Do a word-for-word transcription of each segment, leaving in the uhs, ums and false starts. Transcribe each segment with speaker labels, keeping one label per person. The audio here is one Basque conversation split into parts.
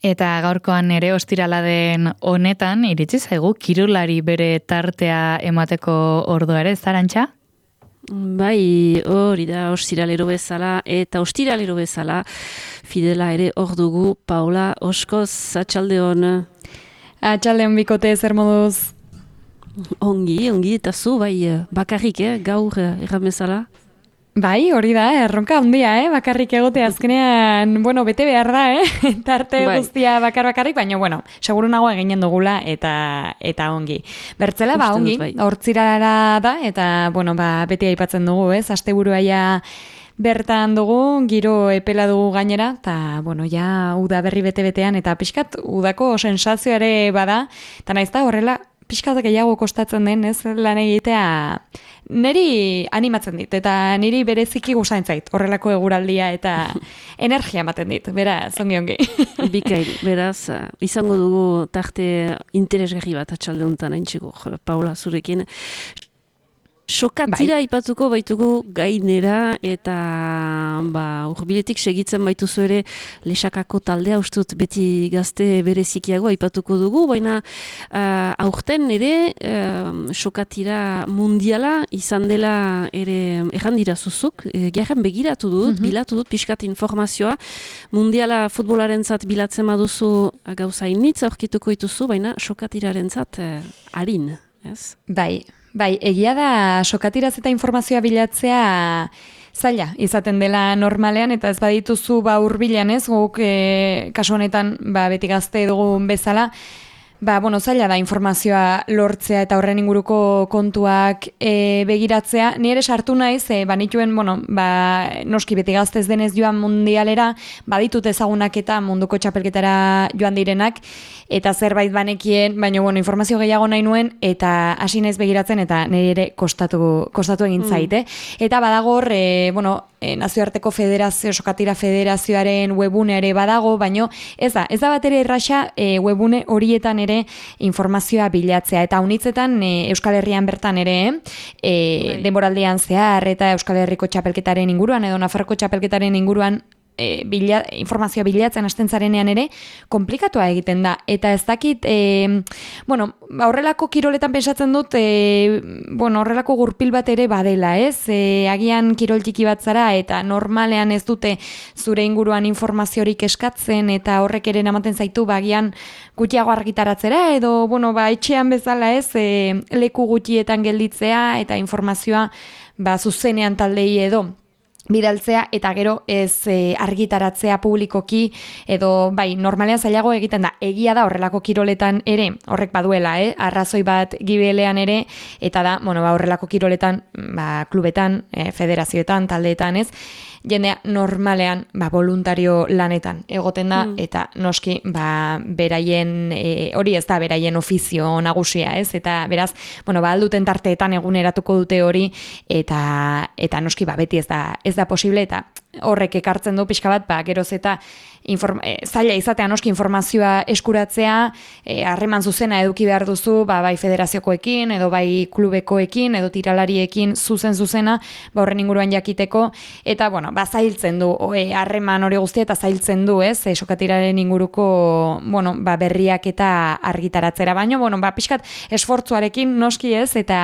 Speaker 1: Eta gaurkoan ere ostirala den honetan, iritsi zaigu, kirolari bere tartea emateko ordua ere, Zarantxa?
Speaker 2: Bai, hori da, ostiralero bezala, eta ostiralero bezala, Fidela ere hor dugu, Paola Oskoz, atxaldeon.
Speaker 3: Atxaldeon bikote, zer moduz?
Speaker 2: Ongi, ongi, eta zu, bai, bakarrik, eh, gaur erran bezala?
Speaker 3: Bai, hori da, erronka handia, eh? Bakarrik egote azkenean, bueno, bete behar da, eh? Tarte bai. Guztia bakar bakarrik, baina, bueno, seguru nago eginen dugula eta eta ongi. Bertzela, ba, ongi, bai. Hortzirara da, eta, bueno, ba, beti aipatzen dugu, ez? Asteburua ja bertan dugu, giro epela dugu gainera, eta, bueno, ja, uda berri bete-betean, eta pixkat, udako sensazioare bada, eta naiz da, horrela, pixkat gehiago kostatzen den, ez, lan egitea, niri animatzen dit, eta niri bereziki gustatzen zait, horrelako eguraldia eta energia ematen dit, beraz, ongi ongi.
Speaker 2: Bikain, beraz, izango dugu tarte interesgarri bat atxalde honetan haintxeko, Paula, zurekin. Sokatira bai. Ipatuko baitugu gainera eta ba, urbiletik segitzen baituzu ere lesakako taldea ustut beti gazte berezikiago aipatuko dugu, baina uh, aurten ere uh, sokatira mundiala izan dela ere errandira zuzuk, e, gerren begiratu dut, mm-hmm. bilatu dut pixkat informazioa, mundiala futbolaren zat bilatzen baduzu gauza initz aurkituko dituzu, baina sokatiraren zat uh, harin, ez?
Speaker 3: Bai. Bai, egia da sokatiraz eta informazioa bilatzea zaila izaten dela normalean, eta ez badituzu ba hurbilan, ez, guk e, kasu honetan ba, beti gazte dugun bezala, ba, bueno, zaila da informazioa lortzea eta horren inguruko kontuak e, begiratzea. Ni ere sartu naiz, e, banituen, bueno, ba, noski beti gaztez denez joan mundialera, baditut ezagunak eta munduko txapelketara joan direnak, eta zerbait banekien, baina, bueno, informazio gehiago nahi nuen, eta hasi naiz begiratzen, eta nire ere kostatu, kostatu egin zaite. Mm. Eta badagor, e, bueno, e, nazioarteko federazio, sokatira federazioaren webune ere badago, baina ez da, ez da bat ere erraxa e, webune horietan ere informazioa bilatzea, eta unitzetan e, Euskal Herrian bertan ere e, denboraldian zehar eta Euskal Herriko txapelketaren inguruan edo Nafarroko txapelketaren inguruan e, bila, informazioa bilatzen hasten zarenean ere komplikatua egiten da, eta ez dakit e, bueno, horrelako kiroletan pensatzen dut e, bueno, horrelako gurpil bat ere badela, ez? E, agian kirol txiki bat zara eta normalean ez dute zure inguruan informaziorik eskatzen eta horrek ere ematen zaitu bagian gutxiago argitaratzera edo, bueno, ba, etxean bezala ez, e, leku gutxietan gelditzea eta informazioa ba, zuzenean taldei edo bidaltzea eta gero ez e, argitaratzea publikoki edo bai, normalean zailago egiten da. Egia da horrelako kiroletan ere, horrek baduela, eh? Arrazoi bat gibelean ere, eta da, bueno, ba, horrelako kiroletan, ba, klubetan, e, federazioetan, taldeetan, ez? Jendea normalean ba, voluntario lanetan egoten da, mm. eta noski ba, beraien, e, hori ez da beraien ofizio nagusia, ez? Eta beraz, bueno, ba, alduten tarteetan eguneratuko dute hori, eta eta noski ba, beti ez da, ez da posible, eta horrek ekartzen du pixka bat, ba, geroz eta inform, e, zaila izatea noski informazioa eskuratzea, harreman e, zuzena eduki behar duzu, ba, bai federaziokoekin, edo bai klubekoekin, edo tiralariekin zuzen zuzena, ba, horren inguruan jakiteko, eta, bueno, ba, zailtzen du, harreman hori guztia eta zailtzen du, ez, e, sokatiraren inguruko, bueno, ba, berriak eta argitaratzera, baino, bueno, ba, pixkat esfortzuarekin noski ez, eta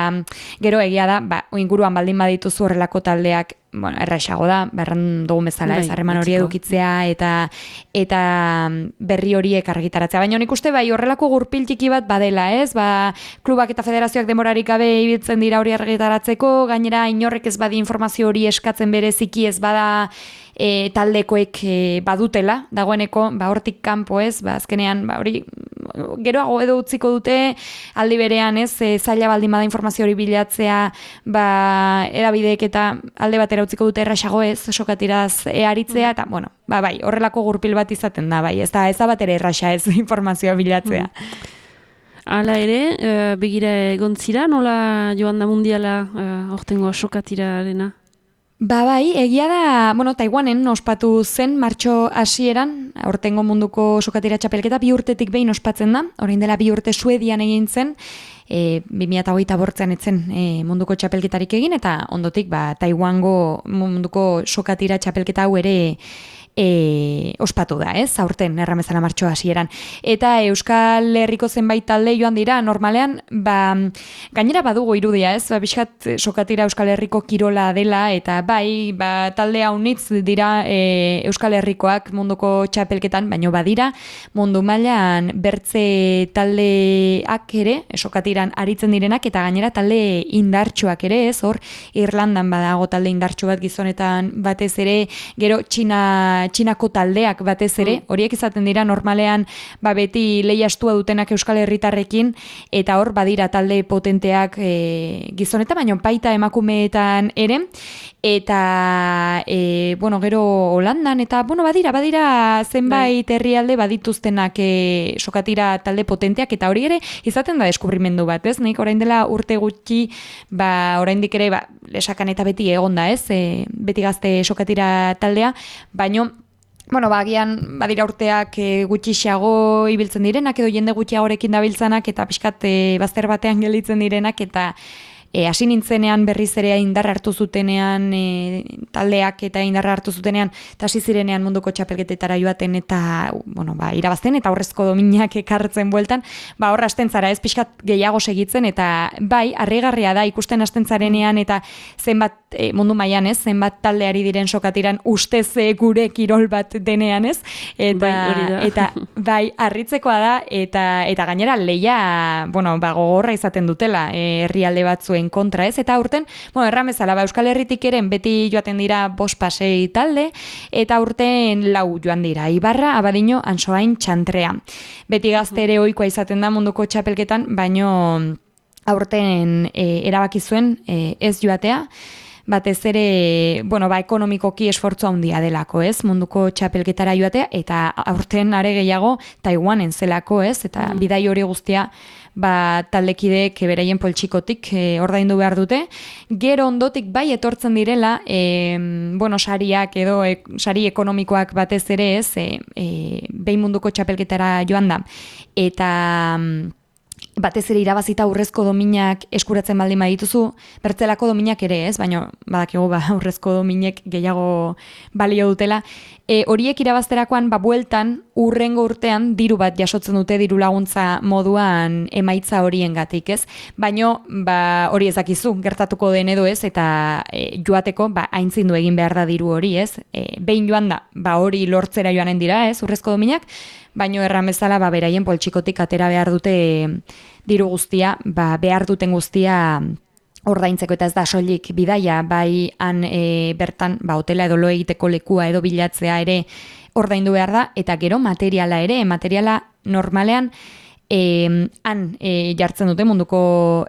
Speaker 3: gero egia da, ba, inguruan baldin badituzu horrelako taldeak, bueno, erraixago da, berran dugun bezala, ez, harreman hori edukitzea eta eta berri horiek argitaratzea. Baina nik uste bai horrelako gurpil txiki bat badela, ez? Ba, klubak eta federazioak demorarik gabe ibiltzen dira hori argitaratzeko, gainera inorrek ez badi informazio hori eskatzen bereziki ez bada e, taldekoek e, badutela, dagoeneko, ba, hortik kanpo, ez? Ba, azkenean, ba, hori geroago edo utziko dute, aldi berean, ez? E, zaila baldin bada informazio hori bilatzea, ba, edabideek eta alde batera utziko dute erraxago, ez? Sokatiraz earitzea, eta, bueno, ba, bai, horrelako gurpil bat izaten da, bai, ez da, ez da bat ere erraxa, ez, informazioa bilatzea.
Speaker 2: Mm. Hala ere, uh, begira egon zira, nola joan da mundiala uh, ortengo sokatirarena?
Speaker 3: Ba bai, egia da, bueno, Taiwanen ospatu zen martxo hasieran, aurtengo munduko sokatira txapelketa bi urtetik behin ospatzen da, orain dela bi urte Suedian egin zen, e, bi mila hogeita bortzean etzen e, munduko txapelketarik egin, eta ondotik ba, Taiwango munduko sokatira txapelketa hau ere e, ospatu da, ez? Aurten erramezala martxoa hasieran. Eta Euskal Herriko zenbait talde joan dira, normalean, ba, gainera badugu irudia, ez? Ba, bizkat sokatira Euskal Herriko kirola dela, eta bai, ba, talde haunitz dira e, Euskal Herrikoak munduko txapelketan, baino badira, mundu mailan bertze taldeak ere, sokatiran aritzen direnak, eta gainera talde indartsuak ere, ez? Hor, Irlandan badago talde indartsu bat gizonetan batez ere, gero Txina, Txinako taldeak batez ere, horiek izaten dira normalean ba, beti lehiastua dutenak Euskal Herritarrekin, eta hor badira talde potenteak e, gizonetan, baina baita emakumeetan ere, eta e, bueno, gero Holandan, eta bueno, badira, badira zenbait herrialde badituztenak e, sokatira talde potenteak, eta hori ere izaten da deskubrimendu bat, ez? Nik orain dela urte gutxi, ba, oraindik ere, ba, lesakan eta beti egonda, ez? E, beti gazte sokatira taldea, baino bueno, bagian badira urteak e, gutxixago ibiltzen direnak edo jende gutxiagorekin dabiltzanak eta pixkat e, bazter batean gelditzen direnak eta E, hasi nintzenean berriz ere indarra hartu zutenean e, taldeak eta indarra hartu zutenean eta hasi zirenean munduko txapelketetara joaten eta bueno, ba, irabazten eta aurrezko dominak ekartzen bueltan, ba hor hasten zara ez pixkat gehiago segitzen eta bai, harrigarria da ikusten hasten zarenean eta zenbat e, mundu mailan ez, zenbat taldeari diren sokatiran ustez e, gure kirol bat denean ez, eta bai, eta bai, harritzekoa da eta eta gainera leia, bueno, ba gogorra izaten dutela e, herrialde batzu kontra ez, eta aurten, bueno, erramezala, ba, Euskal Herritik eren beti joaten dira bost pasei talde, eta aurten lau joan dira, Ibarra, Abadiño, Ansoain, Txantrea. Beti gazte ere ohikoa izaten da munduko txapelketan, baino aurten e, erabaki zuen e, ez joatea, batez ere, bueno, ba, ekonomikoki esfortzu handia delako, ez, munduko txapelketara joatea, eta aurten are gehiago Taiwanen zelako, ez, eta mm. bidai hori guztia ba, taldekideek beraien poltsikotik e, ordaindu behar dute. Gero ondotik bai etortzen direla, e, bueno, sariak edo e, sari ekonomikoak batez ere ez, e, e, behin munduko txapelketara joan da. Eta batez ere irabazita aurrezko dominak eskuratzen baldin badituzu, bertzelako dominak ere ez, baina badakigu ba, aurrezko dominek gehiago balio dutela. E, horiek irabazterakoan, ba, bueltan, urrengo urtean, diru bat jasotzen dute diru laguntza moduan emaitza horiengatik, ez? Baina ba, hori ezakizu, gertatuko den edo ez, eta e, joateko, ba, aintzindu egin behar da diru hori, ez? E, behin joan da, ba, hori lortzera joanen dira, ez, urrezko dominak, baino erramezala ba, beraien poltsikotik atera behar dute diru guztia, ba, behar duten guztia ordaintzeko eta ez da soilik bidaia, bai han e, bertan ba, hotela edo lo egiteko lekua edo bilatzea ere ordaindu behar da, eta gero materiala ere, materiala normalean E, han e, jartzen dute munduko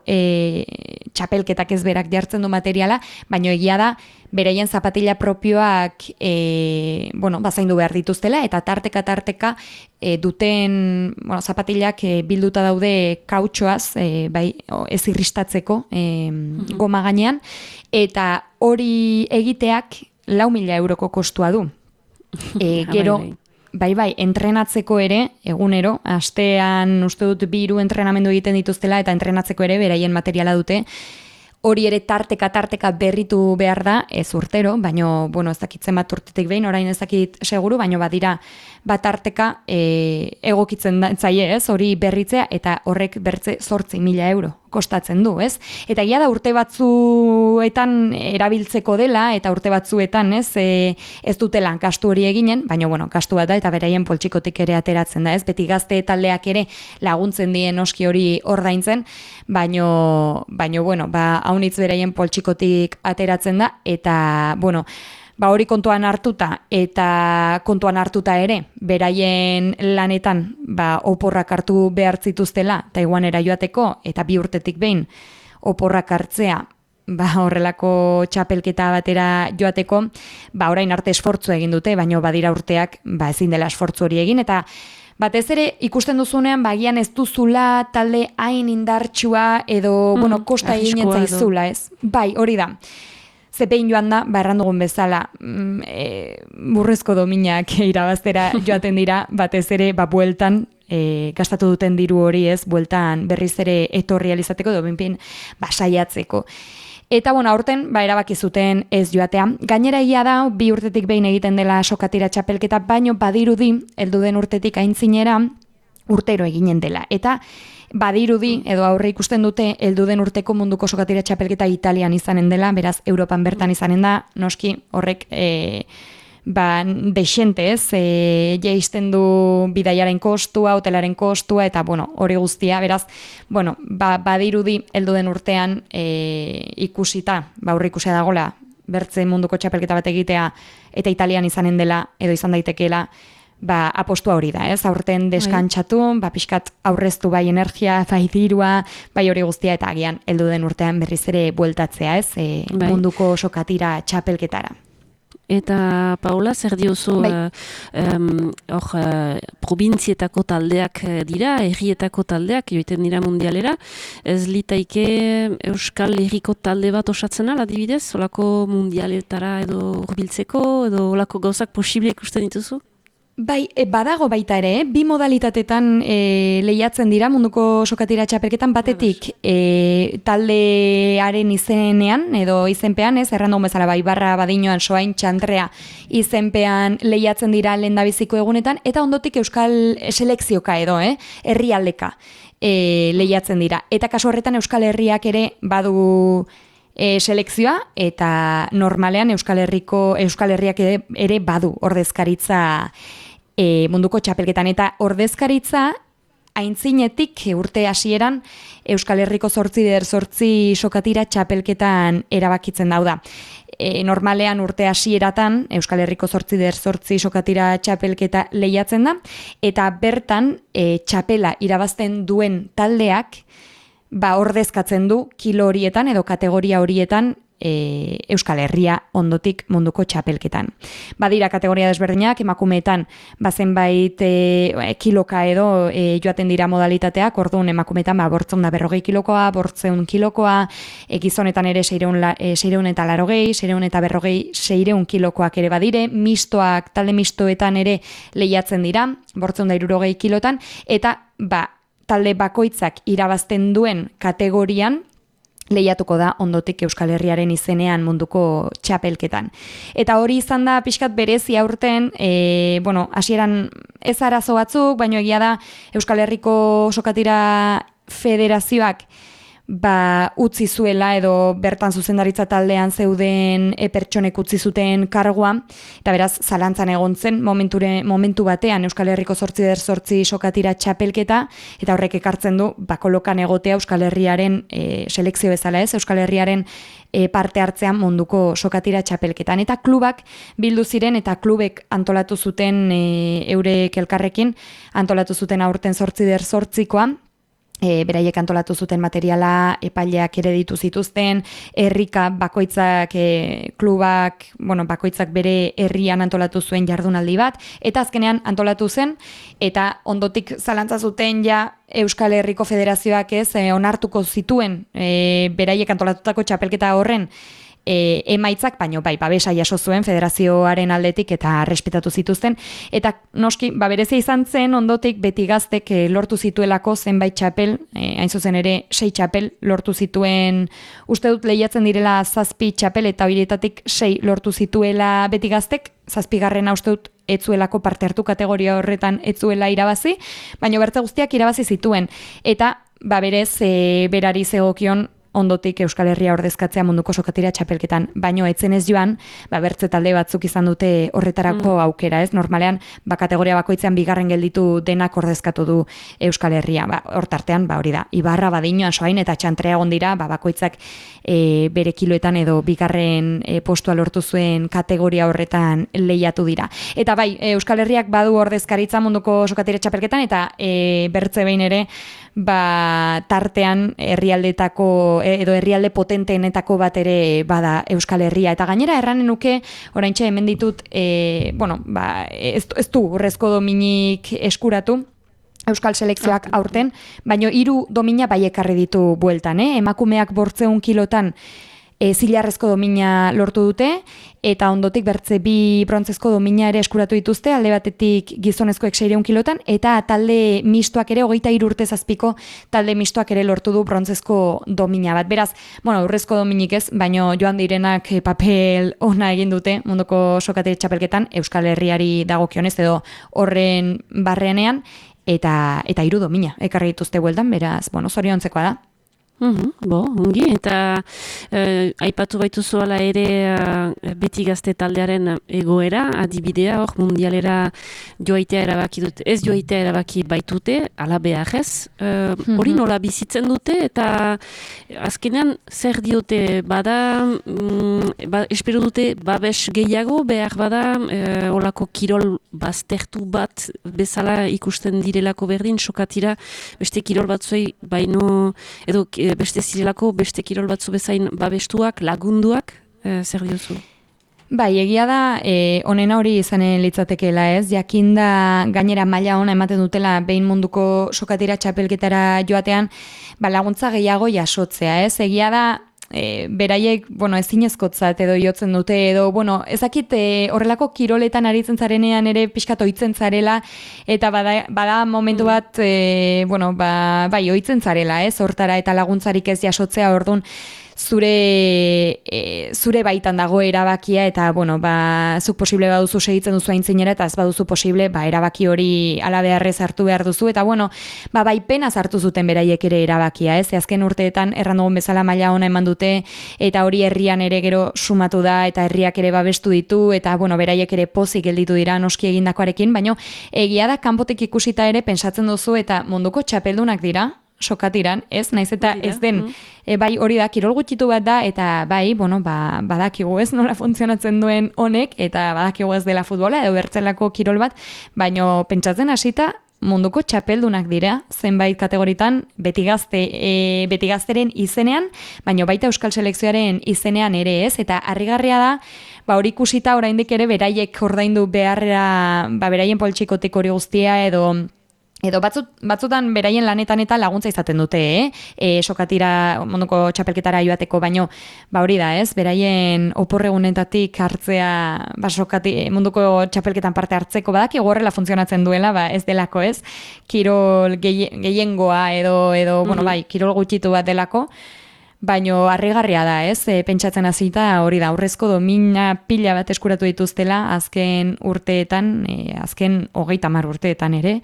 Speaker 3: e, txapelketak ez berak jartzen du materiala, baina egia da beraien zapatila propioak e, bueno, bazaindu behar dituztela eta tarteka tarteka e, duten bueno, zapatilak e, bilduta daude kautxoaz e, bai, ez irristatzeko e, mm-hmm. goma gainean eta hori egiteak lau mila euroko kostua du. E, gero Bai, bai, entrenatzeko ere, egunero, astean uste dut bi hiru entrenamendu egiten dituztela eta entrenatzeko ere beraien materiala dute. Hori ere tarteka tarteka berritu behar da, ez urtero, baino, bueno, ez dakitzen bat urtetik behin, orain ez dakit seguru, baino badira bat tarteka e, egokitzen da, zaie, ez, hori berritzea eta horrek bertze zortzi mila euro kostatzen du, ez? Eta egia da urte batzuetan erabiltzeko dela eta urte batzuetan, ez, e, ez dutela gastu hori eginen, baina bueno, gastu bat da eta beraien poltsikotik ere ateratzen da, ez? Beti gazte taldeak ere laguntzen dien oski hori ordaintzen, baino baino bueno, ba haunitz beraien poltsikotik ateratzen da eta bueno, ba hori kontuan hartuta eta kontuan hartuta ere beraien lanetan ba oporrak hartu behar zituztela Taiwanera joateko eta bi urtetik behin oporrak hartzea ba horrelako txapelketa batera joateko, ba orain arte esfortzu egin dute, baino badira urteak ba ezin dela esfortzu hori egin eta batez ere ikusten duzunean bagian ez duzula talde hain indartsua edo mm, bueno, kosta egin zaizula, ez? Bai, hori da. Zepein joan da, ba errandugun bezala, mm, e, burrezko dominak irabaztera joaten dira, batez ere, ba bueltan, e, gastatu duten diru hori ez, bueltan berriz ere etorri alizateko, edo binpin, ba saiatzeko. Eta, bueno, aurten, ba, erabaki zuten ez joatea. Gainera egia da, bi urtetik behin egiten dela sokatira txapelketa, baino badirudi, heldu den urtetik aintzinera, urtero eginen dela. Eta badirudi, edo aurre ikusten dute, heldu den urteko munduko sokatira txapelketa Italian izanen dela, beraz, Europan bertan izanen da, noski horrek e, ba, deixente ez, e, jaisten du bidaiaren kostua, hotelaren kostua, eta bueno, hori guztia, beraz, bueno, ba, badirudi heldu den urtean e, ikusita, ba, aurre ikusia dagola, bertze munduko txapelketa bat egitea, eta Italian izanen dela, edo izan daitekeela, ba, apostua hori da, ez? Aurten deskantsatu, ba, pixkat aurreztu bai energia, bai dirua, bai hori guztia, eta agian heldu den urtean berriz ere bueltatzea, ez? E, bai. Munduko sokatira txapelketara.
Speaker 2: Eta, Paula, zer diozu, bai. uh, um, or, uh, probintzietako taldeak dira, herrietako taldeak, joiten dira mundialera, ez litaike Euskal Herriko talde bat osatzen ala, adibidez, olako mundialetara edo hurbiltzeko, edo olako gauzak posible ikusten dituzu?
Speaker 3: Bai, e, badago baita ere, bi modalitatetan e, lehiatzen dira munduko sokatira txapelketan batetik e, taldearen izenean edo izenpean, ez, errandu bezala bai, barra badinoan soain txantrea izenpean lehiatzen dira lehendabiziko egunetan, eta ondotik euskal selekzioka edo, eh, herrialdeka e, lehiatzen dira. Eta kasu horretan Euskal Herriak ere badu E, selekzioa, eta normalean Euskal Herriko Euskal Herriak ere, ere badu ordezkaritza e, munduko txapelketan, eta ordezkaritza aintzinetik urte hasieran Euskal Herriko zortzi der zortzi sokatira txapelketan erabakitzen dauda. E, normalean urte hasieratan Euskal Herriko zortzi der zortzi sokatira txapelketa lehiatzen da, eta bertan e, txapela irabazten duen taldeak ba, ordezkatzen du kilo horietan edo kategoria horietan e, Euskal Herria ondotik munduko txapelketan. Badira kategoria desberdinak, emakumeetan bazenbait e, kiloka edo e, joaten dira modalitateak, orduan emakumeetan ba, bortzeun da berrogei kilokoa, bortzeun kilokoa, e, gizonetan ere seireun, la, e, seireun eta larogei, seireun eta berrogei, seireun kilokoak ere badire, mistoak, talde mistoetan ere lehiatzen dira, bortzeun da irurogei kilotan, eta ba, talde bakoitzak irabazten duen kategorian lehiatuko da ondotik Euskal Herriaren izenean munduko txapelketan. Eta hori izan da pixkat berezi aurten, e, bueno, hasieran ez arazo batzuk, baino egia da Euskal Herriko sokatira federazioak ba, utzi zuela edo bertan zuzendaritza taldean zeuden e, pertsonek utzi zuten kargua, eta beraz zalantzan egon zen momenture, momentu batean Euskal Herriko zortzi der zortzi sokatira txapelketa, eta horrek ekartzen du bakolokan egotea Euskal Herriaren e, selekzio bezala ez, Euskal Herriaren e, parte hartzean munduko sokatira txapelketan. Eta klubak bildu ziren eta klubek antolatu zuten e, eurek elkarrekin, antolatu zuten aurten zortzi der zortzikoa, E, beraiek antolatu zuten materiala, epaileak ere ditu zituzten, herrika bakoitzak, e, klubak, bueno, bakoitzak bere herrian antolatu zuen jardunaldi bat, eta azkenean antolatu zen, eta ondotik zalantza zuten ja Euskal Herriko Federazioak ez, e, onartuko zituen e, beraiek antolatutako txapelketa horren E, emaitzak, baino bai, babesa jaso zuen federazioaren aldetik eta respetatu zituzten, eta noski, ba berezia izan zen ondotik beti gaztek e, lortu zituelako zenbait txapel, e, hain zuzen ere sei txapel lortu zituen, uste dut lehiatzen direla zazpi txapel eta horietatik sei lortu zituela beti gaztek, zazpigarrena uste dut etzuelako parte hartu kategoria horretan etzuela irabazi, baino bertze guztiak irabazi zituen, eta ba berez e, berari zegokion ondotik Euskal Herria ordezkatzea munduko sokatira txapelketan, baino etzen ez joan, ba, bertze talde batzuk izan dute horretarako mm. aukera, ez? Normalean, ba, kategoria bakoitzean bigarren gelditu denak ordezkatu du Euskal Herria. Ba, hortartean, ba, hori da, Ibarra, Badinoa, Soain eta Txantrea egon dira, ba, bakoitzak e, bere kiloetan edo bigarren e, postua lortu zuen kategoria horretan lehiatu dira. Eta bai, Euskal Herriak badu ordezkaritza munduko sokatira txapelketan, eta e, bertze behin ere, ba, tartean herrialdetako edo herrialde potenteenetako bat ere bada Euskal Herria. Eta gainera erranen nuke, oraintxe hemen ditut, e, bueno, ba, ez, ez du urrezko dominik eskuratu, Euskal selekzioak aurten, baino hiru domina bai ekarri ditu bueltan, eh? Emakumeak bortzeun kilotan e, zilarrezko domina lortu dute, eta ondotik bertze bi brontzezko domina ere eskuratu dituzte, alde batetik gizonezkoek seiehun kilotan, eta talde mistoak ere, hogeita hiru urte zazpiko talde mistoak ere lortu du brontzezko domina bat. Beraz, bueno, urrezko dominik ez, baino joan direnak papel ona egin dute munduko sokateri txapelketan, Euskal Herriari dagokionez edo horren barrenean, eta eta hiru domina ekarri dituzte bueltan, beraz, bueno, zoriontzekoa da.
Speaker 2: Uhum, bo, ongi, eta eh, aipatu baituzu ala ere eh, beti gazte taldearen egoera, adibidea, hor mundialera joaitea erabaki dute, ez joaitea erabaki baitute, ala beharrez, eh, hori nola bizitzen dute, eta azkenean zer diote, bada, mm, ba, espero dute, babes gehiago, behar bada, eh, olako kirol baztertu bat bezala ikusten direlako berdin, sokatira, beste kirol batzuei, baino, edo, beste zirelako, beste kirol batzu bezain babestuak, lagunduak, e, zer diozu?
Speaker 3: Bai, egia da, e, onena hori izanen litzatekeela ez, jakinda gainera maila ona ematen dutela behin munduko sokatira txapelketara joatean, ba, laguntza gehiago jasotzea ez, egia da, E, beraiek, bueno, ezinezkotzat edo jotzen dute, edo, bueno, ezakit e, horrelako kiroletan aritzen zarenean ere pixkat ohitzen zarela, eta bada, bada momentu bat, e, bueno, ba, bai, ohitzen zarela, ez, hortara eta laguntzarik ez jasotzea, orduan, zure e, zure baitan dago erabakia, eta, bueno, ba, zuk posible baduzu segitzen duzu aintzinera, eta ez baduzu posible, ba, erabaki hori ala beharrez hartu behar duzu, eta, bueno, ba, bai penaz hartu zuten beraiek ere erabakia, ez, azken urteetan errandugun bezala maila ona eman dute, eta hori herrian ere gero sumatu da, eta herriak ere babestu ditu, eta, bueno, beraiek ere pozik gelditu dira noski egindakoarekin, baino, egia da kanpotik ikusita ere pentsatzen duzu, eta munduko txapeldunak dira, sokatiran, ez, naiz eta ez den, e, bai hori da, kirol gutxitu bat da, eta bai, bueno, ba, badakigu ez nola funtzionatzen duen honek, eta badakigu ez dela futbola, edo bertzelako kirol bat, baino pentsatzen hasita, munduko txapeldunak dira, zenbait kategoritan, beti gazte, e, beti gazteren izenean, baino baita Euskal Selekzioaren izenean ere ez, eta harrigarria da, ba hori ikusita oraindik ere beraiek ordaindu beharra, ba beraien poltsikotik hori guztia, edo Edo batzut, batzutan beraien lanetan eta laguntza izaten dute, eh? E, sokatira, munduko txapelketara joateko, baino, ba hori da, ez? Beraien oporregunetatik hartzea, ba sokati, munduko txapelketan parte hartzeko, badaki horrela funtzionatzen duela, ba ez delako, ez? Kirol gehiengoa edo, edo mm-hmm. bueno, bai, kirol gutxitu bat delako, baino harrigarria da, ez? E, pentsatzen hasita hori da, aurrezko domina pila bat eskuratu dituztela azken urteetan, e, azken hogeita hamar urteetan ere,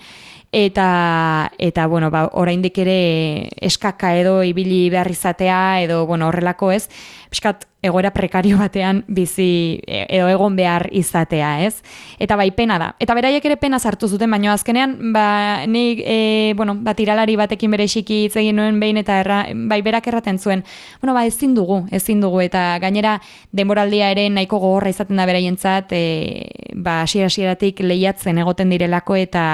Speaker 3: eta eta bueno, ba oraindik ere eskaka edo ibili behar izatea edo bueno, horrelako, ez? Piskat egoera prekario batean bizi edo egon behar izatea, ez? Eta bai pena da. Eta beraiek ere pena sartu zuten, baino azkenean ba nik e, bueno, ba tiralari batekin bere xiki hitz egin nuen behin eta erra, bai berak erraten zuen. Bueno, ba ezin dugu, ezin dugu eta gainera denboraldia ere nahiko gogorra izaten da beraientzat, e, ba hasiera-hasieratik lehiatzen egoten direlako eta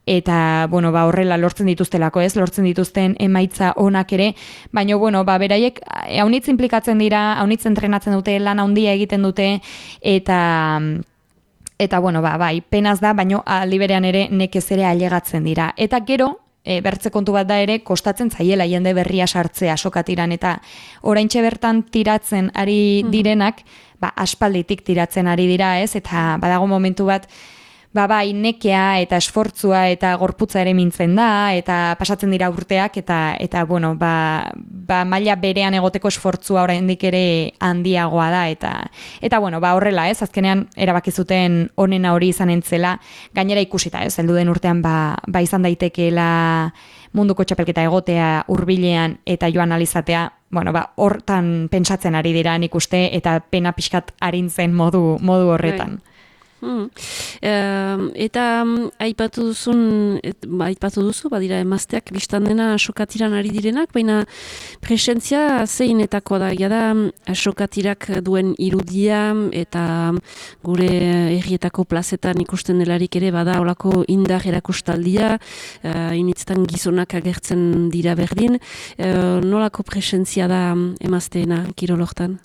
Speaker 3: eta bueno, ba horrela lortzen dituztelako, ez? Lortzen dituzten emaitza onak ere, baina bueno, ba beraiek haunitz inplikatzen dira, haunitz entrenatzen dute, lan handia egiten dute eta eta bueno, ba bai, penaz da, baina aldi berean ere nekez ere ailegatzen dira. Eta gero E, bertze kontu bat da ere, kostatzen zaiela jende berria sartzea sokatiran, eta oraintxe bertan tiratzen ari direnak, ba, aspalditik tiratzen ari dira, ez? Eta badago momentu bat, ba, bai, nekea eta esfortzua eta gorputza ere mintzen da, eta pasatzen dira urteak, eta, eta bueno, ba, ba, maila berean egoteko esfortzua oraindik ere handiagoa da, eta, eta bueno, ba, horrela, ez? Azkenean erabaki zuten onena hori izan entzela, gainera ikusita, ez? Heldu den urtean, ba, ba izan daitekeela munduko txapelketa egotea hurbilean eta joan alizatea, bueno, ba, hortan pentsatzen ari dira nik uste, eta pena pixkat arintzen modu, modu horretan.
Speaker 2: Right. Hmm. Uh, eta um, aipatu duzun, et, ba, aipatu duzu, badira emazteak biztan dena sokatiran ari direnak, baina presentzia zeinetakoa da, jada sokatirak duen irudia eta gure herrietako plazetan ikusten delarik ere bada olako indar erakustaldia, uh, initztan gizonak agertzen dira berdin, uh, nolako presentzia da emazteena kirolortan?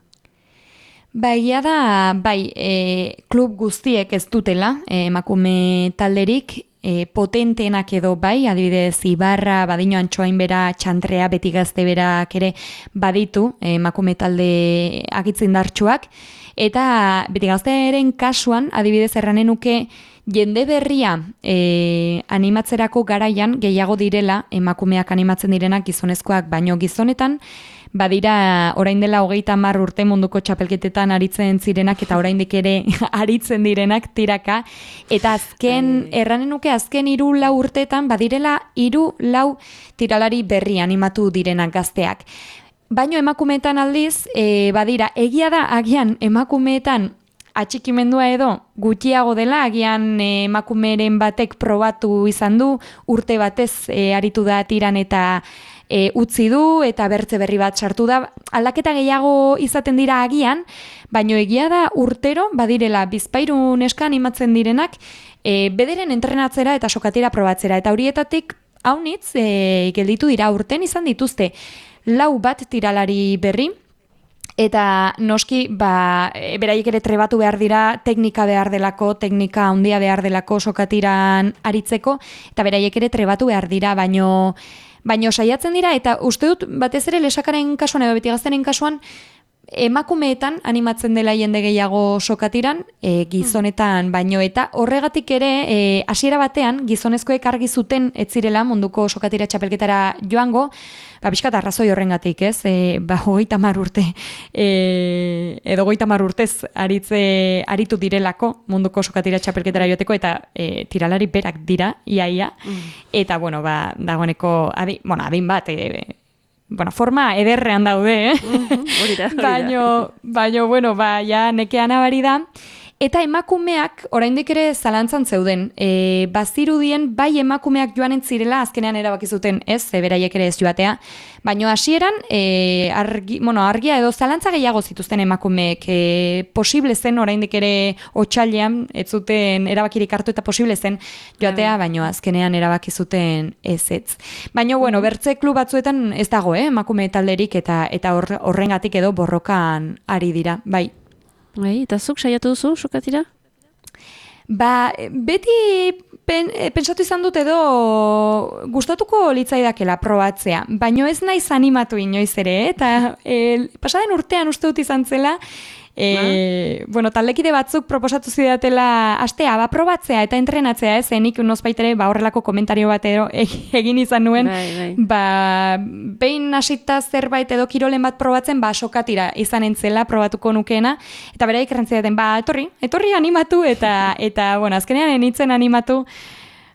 Speaker 3: Bai, da, bai, e, klub guztiek ez dutela, e, emakume talderik, e, potenteenak edo bai, adibidez, Ibarra, Badino Antxoain bera, Txantrea, Beti Gazte berak ere baditu, emakume talde agitzindartsuak, eta Beti Gaztearen kasuan, adibidez, erranen nuke, jende berria e, animatzerako garaian gehiago direla, emakumeak animatzen direnak gizonezkoak, baino gizonetan, badira orain dela hogeita hamar urte munduko txapelketetan aritzen zirenak eta oraindik ere aritzen direnak tiraka, eta azken, erranen nuke azken hiru lau urteetan badirela hiru lau tiralari berri animatu direnak gazteak. Baino emakumeetan aldiz, e, badira, egia da agian emakumeetan atxikimendua edo gutxiago dela, agian e, emakumeren batek probatu izan du, urte batez e, aritu da tiran eta e, utzi du, eta bertze berri bat sartu da. Aldaketa gehiago izaten dira agian, baino egia da urtero, badirela bizpairu neska animatzen direnak, e, bederen entrenatzera eta sokatira probatzera, eta horietatik haunitz e, gelditu dira urten izan dituzte lau bat tiralari berri, eta noski, ba, beraiek ere trebatu behar dira, teknika behar delako, teknika handia behar delako sokatiran aritzeko, eta beraiek ere trebatu behar dira, baino, baino saiatzen dira, eta uste dut, batez ere lesakaren kasuan edo Beti Gazteren kasuan, emakumeetan animatzen dela jende gehiago sokatiran, e, gizonetan baino, eta horregatik ere, e, hasiera batean, gizonezkoek argi zuten ez zirela munduko sokatira txapelketara joango, ba, pixkat arrazoi horrengatik, ez? E, ba, hogeita hamar urte, e, edo hogeita hamar urtez aritze, aritu direlako munduko sokatira txapelketara joateko, eta e, tiralari berak dira, iaia, mm. eta, bueno, ba, dagoeneko, adin, bueno, adin bat, e, bueno, forma ederrean daude, eh?
Speaker 2: Uh-huh, orida, orida.
Speaker 3: Baino, baino, bueno, ba, ja, nekean abari da. Eta emakumeak, oraindik ere zalantzan zeuden, e, bazirudien bai emakumeak joanen zirela, azkenean erabaki zuten ez, e, beraiek ere ez joatea, baino hasieran e, argi, bueno, argia edo zalantza gehiago zituzten emakumeek, e, posible zen oraindik ere otsailean, ez zuten erabakirik hartu eta posible zen joatea, baino azkenean erabaki zuten ez ez. Baino, bueno, bertze klub batzuetan ez dago, eh, emakume talderik eta eta horrengatik edo borrokan ari dira, bai.
Speaker 2: Bai, eta zuk saiatu duzu, sokatira?
Speaker 3: Ba, beti pen, pentsatu izan dut edo gustatuko litzaidakela probatzea, baino ez naiz animatu inoiz ere, eh? Eta e, pasaden urtean uste dut izan zela, e, ah. bueno, taldekide batzuk proposatu zidatela astea, ba, probatzea eta entrenatzea, ez, nik nozbaitere ba, horrelako komentario bat edo egin izan nuen,
Speaker 2: bai, bai.
Speaker 3: ba, behin hasita zerbait edo kirolen bat probatzen, ba, sokatira izan entzela probatuko nukeena, eta beraik errantzidaten, ba, etorri, etorri animatu, eta, eta bueno, azkenean enitzen animatu,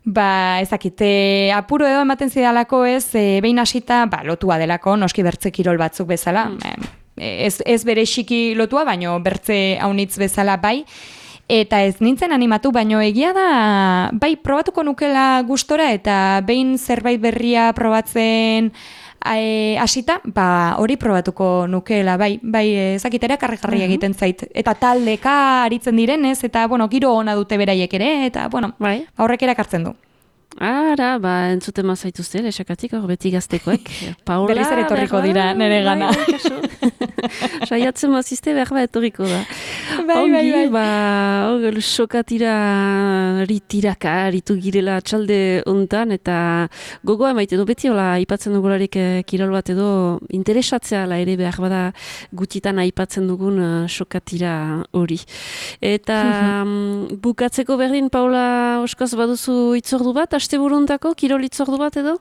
Speaker 3: ba, ezakite, apuro edo ematen zidalako ez, e, behin hasita, ba, lotua delako, noski bertze kirol batzuk bezala, mm. Ez, ez bere xiki lotua, baino bertze haunitz bezala bai, eta ez nintzen animatu, baino egia da, bai, probatuko nukela gustora, eta behin zerbait berria probatzen hasita, e, ba, hori probatuko nukela, bai, bai, ezakitera karri-karri egiten zait, eta taldeka aritzen direnez, eta, bueno, giro ona dute beraiek ere, eta, bueno, bai. Horrek erakartzen du.
Speaker 2: Ara, ba, entzuten mazaituzte, lesakatik, hor Beti Gaztekoek. Paula,
Speaker 3: Berriz ere etorriko dira, nire gana.
Speaker 2: Saiatzen mazizte, behar bat etorriko da.
Speaker 3: Bai,
Speaker 2: Ongi,
Speaker 3: bai, bai.
Speaker 2: ba, hor, sokatira ritiraka, ritu girela txalde hontan, eta gogoa emaite du, beti hola, aipatzen dugularik eh, kirol bat edo, interesatzea la ere behar bada gutitan aipatzen dugun uh, sokatira hori. Eta um, bukatzeko berdin, Paula, oskaz baduzu itzordu bat, asteburuntako kirol itzordu bat edo?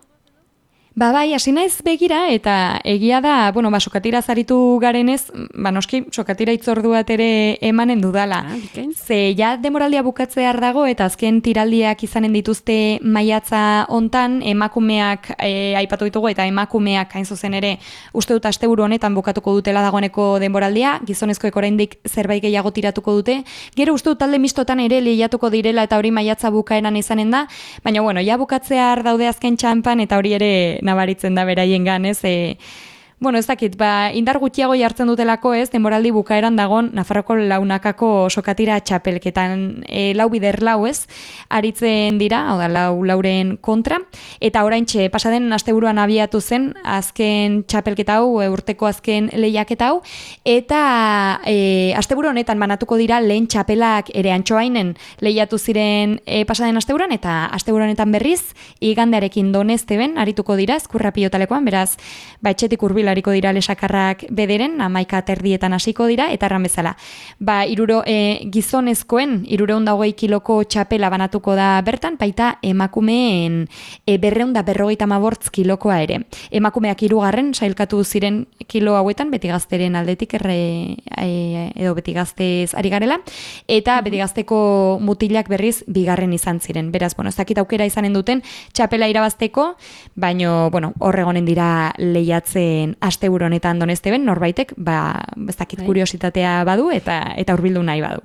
Speaker 3: Ba bai, hasi naiz begira, eta egia da, bueno, ba, sokatira zaritu garenez, ba, noski, sokatira itzordu bat ere emanen dudala.
Speaker 2: Ah,
Speaker 3: Ze, ja, demoraldia bukatzear dago, eta azken tiraldiak izanen dituzte maiatza hontan, emakumeak e, aipatu ditugu, eta emakumeak hain zuzen ere, uste dut asteburu honetan bukatuko dutela dagoeneko demoraldia, gizonezkoek oraindik zerbait gehiago tiratuko dute, gero uste dut talde mistotan ere lehiatuko direla, eta hori maiatza bukaeran izanen da, baina, bueno, ja bukatzear daude azken txanpan, eta hori ere nabaritzen da beraien ganez, e, Bueno, ez dakit, ba, indar gutxiago jartzen dutelako ez, denboraldi bukaeran dagon Nafarroko launakako sokatira txapelketan e, lau bider lau ez, aritzen dira, hau da, lau lauren kontra, eta oraintxe pasaden asteburuan abiatu zen, azken txapelketa hau, e, urteko azken lehiaketa hau, eta e, asteburu honetan banatuko dira lehen txapelak ere Antxoainen lehiatu ziren e, pasaden asteburuan, eta asteburu honetan berriz, igandearekin Donezteben arituko dira, ezkurra pilotalekoan, beraz, ba, etxetik hurbil hariko dira lesakarrak bederen, amaika terdietan hasiko dira, eta erran bezala. Ba, iruro, e, gizonezkoen, irureun da hogei kiloko txapela banatuko da bertan, baita emakumeen e, berreun da berrogeita mabortz kilokoa ere. Emakumeak hirugarren sailkatu ziren kilo hauetan, beti gazteren aldetik erre, e, edo beti gaztez ari garela, eta beti gazteko mutilak berriz bigarren izan ziren. Beraz, bueno, ez dakit aukera izanen duten txapela irabazteko, baino, bueno, horregonen dira lehiatzen asteburu honetan Donezteben, norbaitek, ba, ez dakit kuriositatea badu eta eta hurbildu nahi badu.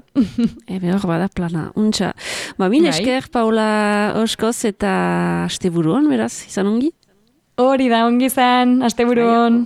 Speaker 2: Ebe hor bada plana, untxa. Ba, mil esker, Paula Oskoz, eta asteburuan, beraz, izan ongi?
Speaker 3: Hori da, ongi izan, asteburuan.